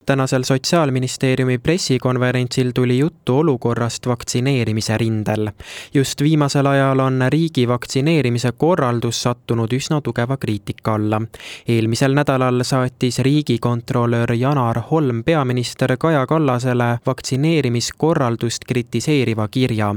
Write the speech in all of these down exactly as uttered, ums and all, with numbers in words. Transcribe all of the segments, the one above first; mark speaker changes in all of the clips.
Speaker 1: Tänasel Sotsiaalministeeriumi pressikonverentsil tuli juttu olukorrast vaktsineerimise rindel. Just viimasel ajal on riigi vaktsineerimise korraldus sattunud üsna tugeva kriitika alla. Eelmisel nädalal saatis riigikontrolör Janar Holm peaminister Kaja Kallasele vaktsineerimiskorraldust kritiseeriva kirja.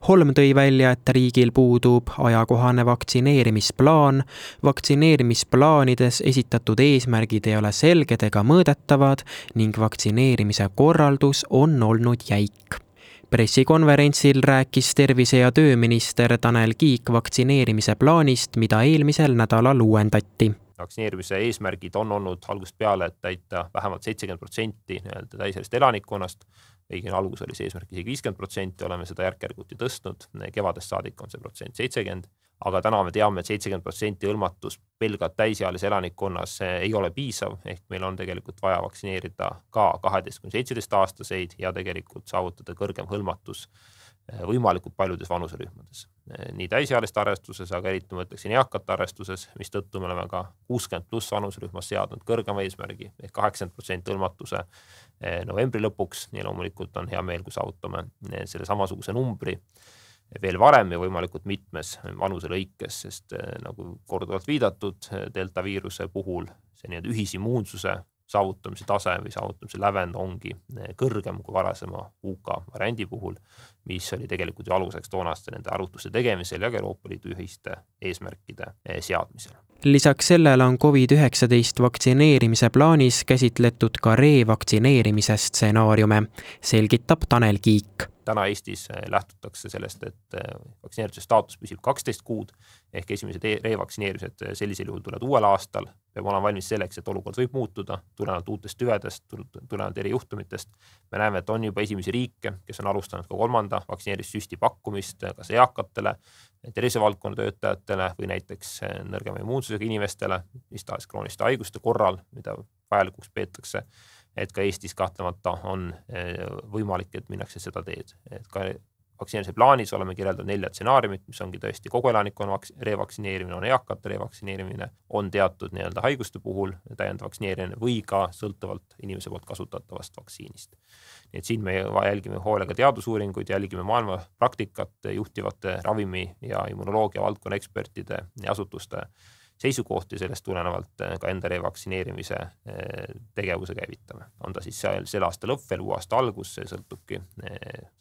Speaker 1: Holm tõi välja, et riigil puudub ajakohane vaktsineerimisplaan, vaktsineerimisplaanides esitatud eesmärgid ei ole selged ega mõõdetavad ning vaktsineerimise korraldus on olnud jäik. Pressikonverentsil rääkis tervise- ja tööminister Tanel Kiik vaktsineerimise plaanist, mida eelmisel nädalal uuendati.
Speaker 2: Vaktsineerimise eesmärgid on olnud algusest peale, et täita vähemalt seitsekümmend protsenti täisealist elanikkonnast. Õigin algus oli see eesmärk isegi viiskümmend protsenti, oleme seda järk-järguti tõstnud, kevadest saadik on see protsent seitsekümmend, aga täna me teame, et seitsekümmend protsenti hõlmatus pelgalt täisealise elanikkonnas ei ole piisav, ehk meil on tegelikult vaja vaktsineerida ka kaheteist kuni seitseteist aastaseid ja tegelikult saavutada kõrgem hõlmatus võimalikult paljudes vanuserühmades. Nii täisealiste arvestuses, aga eriti mõtleksin eakate arvestuses, mis tõttu me oleme ka kuuskümmend pluss vanuserühmas seadnud kõrgema eesmärgi ehk kaheksakümmend protsenti hõlmatuse novembri lõpuks. Nii loomulikult on hea meel, kui saavutame selle samasuguse numbri veel varem ja võimalikult mitmes vanuse lõikes, sest nagu korduvalt viidatud delta viiruse puhul see nii-öelda ühisimmuunsuse saavutamise tase või saavutamise lävend ongi kõrgem kui varasema U K variandi puhul, mis oli tegelikult ju aluseks toonaste nende arvutuste tegemisel ja ka Euroopa Liidu ühiste eesmärkide seadmisel.
Speaker 1: Lisaks sellele on covid üheksateist vaktsineerimise plaanis käsitletud ka revaktsineerimise stsenaariume, selgitab Tanel Kiik.
Speaker 2: Täna Eestis lähtutakse sellest, et vaktsineerituse staatus püsib kaksteist kuud ehk esimesed revaktsineerimised sellisel juhul tulevad uuel aastal. Peab olema valmis selleks, et olukord võib muutuda, tulenevalt uutest tüvedest, tulenevalt eri juhtumitest. Me näeme, et on juba esimesi riike, kes on alustanud ka kolmanda vaktsineerimissüsti pakkumist kas eakatele, tervisevaldkonna töötajatele või näiteks nõrgema immuunsusega inimestele, mis tahes krooniliste haiguste korral, mida vajalikuks peetakse. Et ka Eestis kahtlemata on võimalik, et minnakse seda teed. Et ka vaktsineerimise plaanis oleme kirjeldanud nelja stsenaariumit, mis ongi tõesti kogu elanikkonna revaktsineerimine, on eakate revaktsineerimine, on teatud nii-öelda haiguste puhul täiendav vaktsineerimine või ka sõltuvalt inimese poolt kasutatavast vaktsiinist. Nii et siin me jälgime hoolega teadusuuringuid, jälgime maailma praktikat juhtivate ravimi ja immunoloogia valdkonna ekspertide ja asutuste seisukohti, sellest tulenevalt ka enda revaktsineerimise tegevuse käivitame. On ta siis selle aasta lõpp veel uue aasta algus, see sõltubki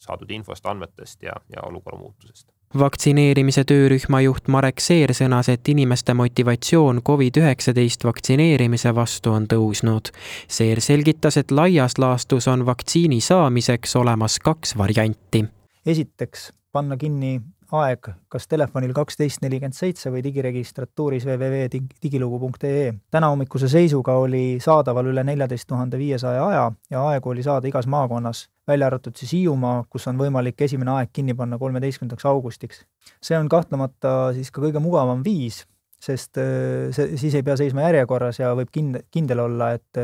Speaker 2: saadud infost, andmetest ja, ja olukorra muutusest.
Speaker 1: Vaktsineerimise töörühma juht Marek Seer sõnas, et inimeste motivatsioon covid üheksateist vaktsineerimise vastu on tõusnud. Seer selgitas, et laias laastus on vaktsiini saamiseks olemas kaks varianti.
Speaker 3: Esiteks panna kinni aeg kas telefonil kaksteist nelikümmend seitse või digiregistratuuris double-u double-u double-u punkt digilugu punkt ee. Täna hommikuse seisuga oli saadaval üle neljateist tuhande viiesaja aja ja aegu oli saada igas maakonnas, välja arvatud siis Hiiumaa, kus on võimalik esimene aeg kinni panna kolmeteistkümnendaks augustiks. See on kahtlemata siis ka kõige mugavam viis, sest see, siis ei pea seisma järjekorras ja võib kindel olla, et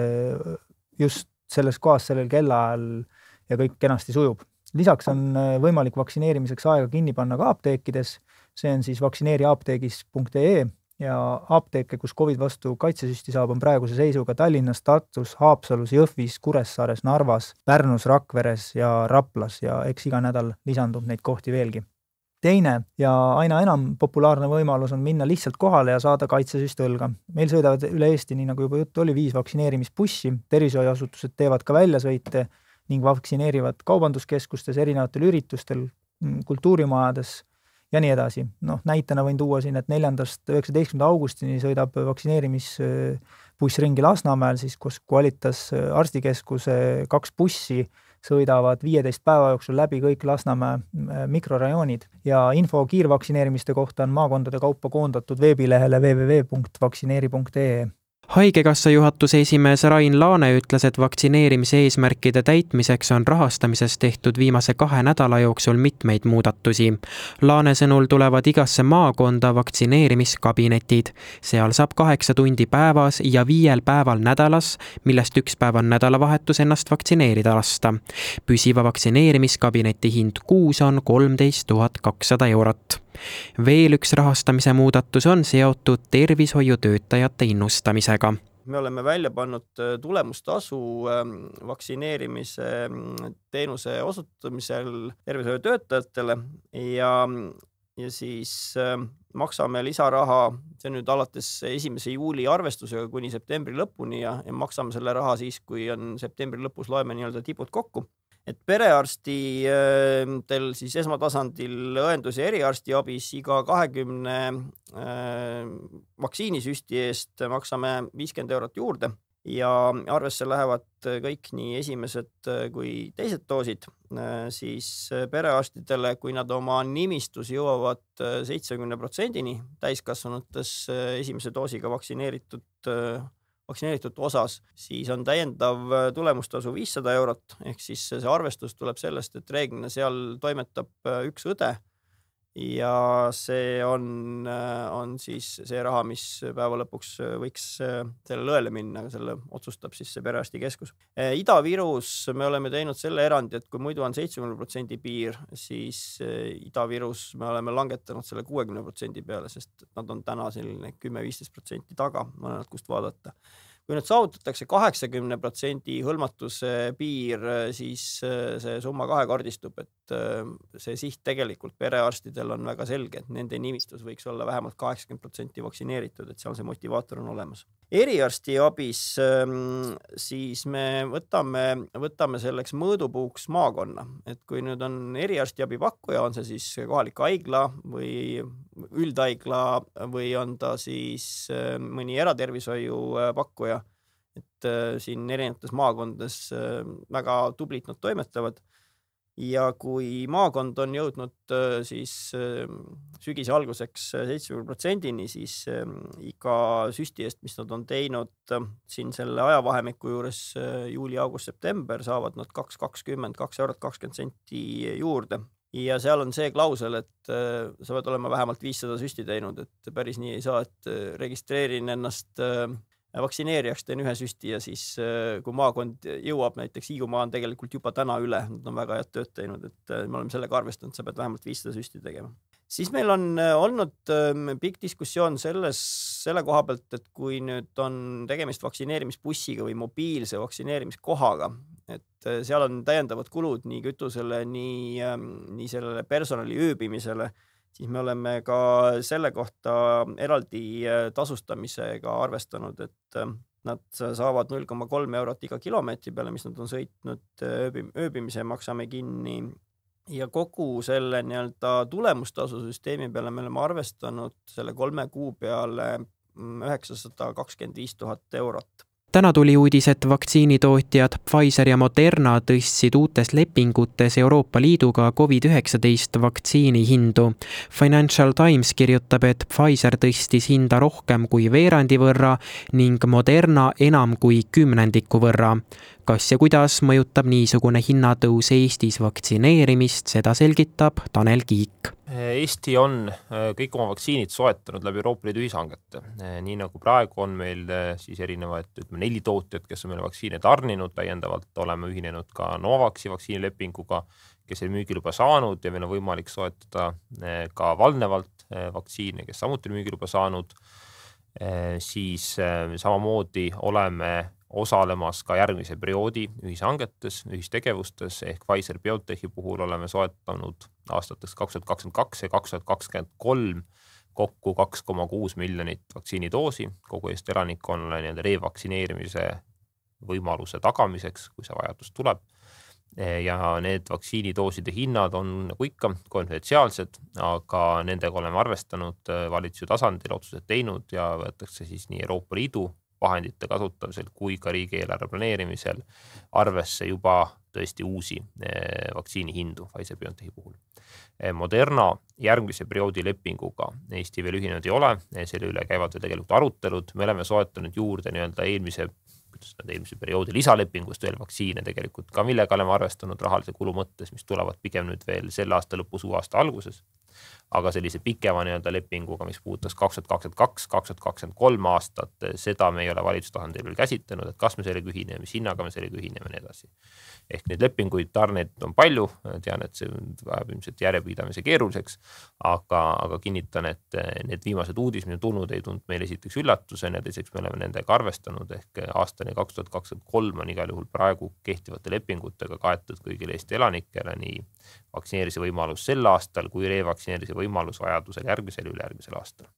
Speaker 3: just selles kohas sellel kellaajal ja kõik kenasti sujub. Lisaks on võimalik vaktsineerimiseks aega kinni panna ka apteekides, see on siis vaktsineeriapteegis punkt ee ja apteeke, kus COVID vastu kaitsesüsti saab, on praeguse seisuga Tallinnas, Tartus, Haapsalus, Jõhvis, Kuressaares, Narvas, Pärnus, Rakveres ja Raplas ja eks iga nädal lisandub neid kohti veelgi. Teine ja aina enam populaarne võimalus on minna lihtsalt kohale ja saada kaitsesüst õlga. Meil sõidavad üle Eesti, nii nagu juba juttu oli, viis vaktsineerimisbussi, tervishoiuasutused teevad ka väljasõite ning vaktsineerivad kaubanduskeskustes, erinevatel üritustel, kultuurimajades ja nii edasi. No, näitena võin tuua siin, et neljandast üheksateistkümnenda augustini sõidab vaktsineerimisbuss ringi Lasnamäel, siis kus Qualitas arstikeskuse kaks bussi sõidavad viieteist päeva jooksul läbi kõik Lasnamäe mikrorajoonid ja info kiirvaktsineerimiste kohta on maakondade kaupa koondatud veebilehele double-u double-u double-u punkt vaktsineeri punkt ee.
Speaker 1: Haigekassa juhatuse esimees Rain Laane ütles, et vaktsineerimise eesmärkide täitmiseks on rahastamises tehtud viimase kahe nädala jooksul mitmeid muudatusi. Laane sõnul tulevad igasse maakonda vaktsineerimiskabinetid. Seal saab kaheksa tundi päevas ja viiel päeval nädalas, millest üks päev on nädalavahetus ennast vaktsineerida lasta. Püsiva vaktsineerimiskabineti hind kuus on kolmteist tuhat kakssada eurot. Veel üks rahastamise muudatus on seotud tervishoiutöötajate innustamisega.
Speaker 4: me oleme välja pannud tulemustasu vaktsineerimise teenuse osutamisel tervishoiutöötajatele ja ja siis maksame lisaraha, see nüüd alates esimese juuli arvestusega kuni septembri lõpuni ja, ja maksame selle raha siis, kui on septembri lõpus loeme nii-öelda tipud kokku. Et perearstitel siis esmatasandil õendus- ja eriarsti abis iga kahekümne vaktsiinisüsti eest maksame viiskümmend eurot juurde ja arvesse lähevad kõik nii esimesed kui teised doosid, siis perearstidele, kui nad oma nimistus jõuavad seitsekümmend protsenti täiskasvanutes esimese doosiga vaktsineeritud, vaktsineeritud osas, siis on täiendav tulemustasu viissada eurot, ehk siis see arvestus tuleb sellest, et reeglina seal toimetab üks õde ja see on, on siis see raha, mis päeva lõpuks võiks sellele õele minna, aga selle otsustab siis see perearstikeskus. Ida-Virus me oleme teinud selle erandi, et kui muidu on seitsekümmend protsenti piir, siis Ida-Virus me oleme langetanud selle kuuekümne protsendi peale, sest nad on täna selline kümme viisteist protsenti taga, mõned kust vaadata. Kui nüüd saavutatakse kaheksakümne protsendi hõlmatuse piir, siis see summa kahekordistub, et see siht tegelikult perearstidel on väga selge, et nende nimistus võiks olla vähemalt kaheksakümmend protsenti vaktsineeritud, et seal see motivaator on olemas. Eriarsti abis siis me võtame, võtame selleks mõõdupuuks maakonna, et kui nüüd on eriarsti abi pakkuja, on see siis kohalik haigla või üldhaigla või on ta siis mõni eratervishoiu pakkuja, et siin erinevates maakondades väga tublit nad toimetavad. Ja kui maakond on jõudnud siis sügise alguseks seitsekümmend protsendini, siis iga süsti eest, mis nad on teinud siin selle ajavahemiku juures juuli, august, september, saavad nad kaks kakskümmend, kaks eurot kakskümmend senti juurde. Ja seal on see klausel, et sa pead olema vähemalt viissada süsti teinud, et päris nii ei saa, et registreerin ennast vaktsineerijaks, teen ühe süsti ja siis kui maakond jõuab, näiteks Hiiumaa on tegelikult juba täna üle, nad on väga head tööd teinud, et me oleme sellega arvestanud, sa pead vähemalt viissada süsti tegema. Siis meil on olnud pikk diskussioon selles, selle koha pealt, et kui nüüd on tegemist vaktsineerimisbussiga või mobiilse vaktsineerimiskohaga, et seal on täiendavad kulud nii kütusele, nii, nii sellele personali ööbimisele, siis me oleme ka selle kohta eraldi tasustamisega arvestanud, et nad saavad null koma kolm eurot iga kilomeetri peale, mis nad on sõitnud ööbimise, maksame kinni ja kogu selle nii-öelda tulemustasusüsteemi peale me oleme arvestanud selle kolme kuu peale üheksasada kakskümmend viis tuhat eurot.
Speaker 1: Täna tuli uudis, et vaktsiinitootjad Pfizer ja Moderna tõstsid uutes lepingutes Euroopa Liiduga covid üheksateist vaktsiini hindu. Financial Times kirjutab, et Pfizer tõstis hinda rohkem kui veerandi võrra ning Moderna enam kui kümnendiku võrra. Kas ja kuidas mõjutab niisugune hinnatõus Eestis vaktsineerimist, seda selgitab Tanel Kiik.
Speaker 2: Eesti on kõik oma vaktsiinid soetanud läbi Euroopa Liidu ühishangete. Nii nagu praegu on meil siis erinevaid ütleme, neli tootjad, kes on meile vaktsiine tarninud, täiendavalt oleme ühinenud ka Novaxi vaktsiinilepinguga, kes on müügiluba saanud ja meil on võimalik soetada ka valnevalt vaktsiine, kes samuti on müügiluba saanud. Siis samamoodi oleme osalemas ka järgmise perioodi ühishangetes, ühistegevustes ehk Pfizer-BioNTechi puhul oleme soetanud aastateks kaks tuhat kakskümmend kaks ja kaks tuhat kakskümmend kolm kokku kaks koma kuus miljonit vaktsiinidoosi kogu Eesti elanikkonnale nii-öelda revaktsineerimise võimaluse tagamiseks, kui see vajadus tuleb. Ja need vaktsiinidooside hinnad on nagu ikka konfidentsiaalsed, aga nendega oleme arvestanud valitsuse tasandil, otsused teinud ja võetakse siis nii Euroopa Liidu vahendite kasutamisel kui ka riigieelarve planeerimisel arvesse juba tõesti uusi vaktsiini hindu Pfizer-BioNTechi puhul. Moderna järgmise perioodi lepinguga Eesti veel ühinenud ei ole, selle üle käivad veel tegelikult arutelud. Me oleme soetanud juurde nii-öelda eelmise, eelmise perioodi lisalepingust veel vaktsiine tegelikult ka, millega oleme arvestanud rahalise kulu mõttes, mis tulevad pigem nüüd veel selle aasta lõpus, uue aasta alguses. aga sellise pikema nii-öelda lepinguga, mis puudutas kaks tuhat kakskümmend kaks, kaks tuhat kakskümmend kolm aastat, seda me ei ole valitsustasandil veel käsitlenud, et kas me sellega ühineme, mis hinnaga me sellega ühineme ja nii edasi. Ehk neid lepinguid, tarneid on palju, tean, et see vajab ilmselt järjepidamise keeruliseks, aga, aga kinnitan, et need viimased uudis, mis on tulnud, ei tulnud meile esiteks üllatusena, teiseks me oleme nendega arvestanud, ehk aastani kaks tuhat kakskümmend kolm on igal juhul praegu kehtivate lepingutega kaetud kõigile Eesti elanikele, nii vaktsineerimise võimalus sel aastal kui revaktsineerimise võimalus vajadusel järgmisel ja ülejärgmisel aastal.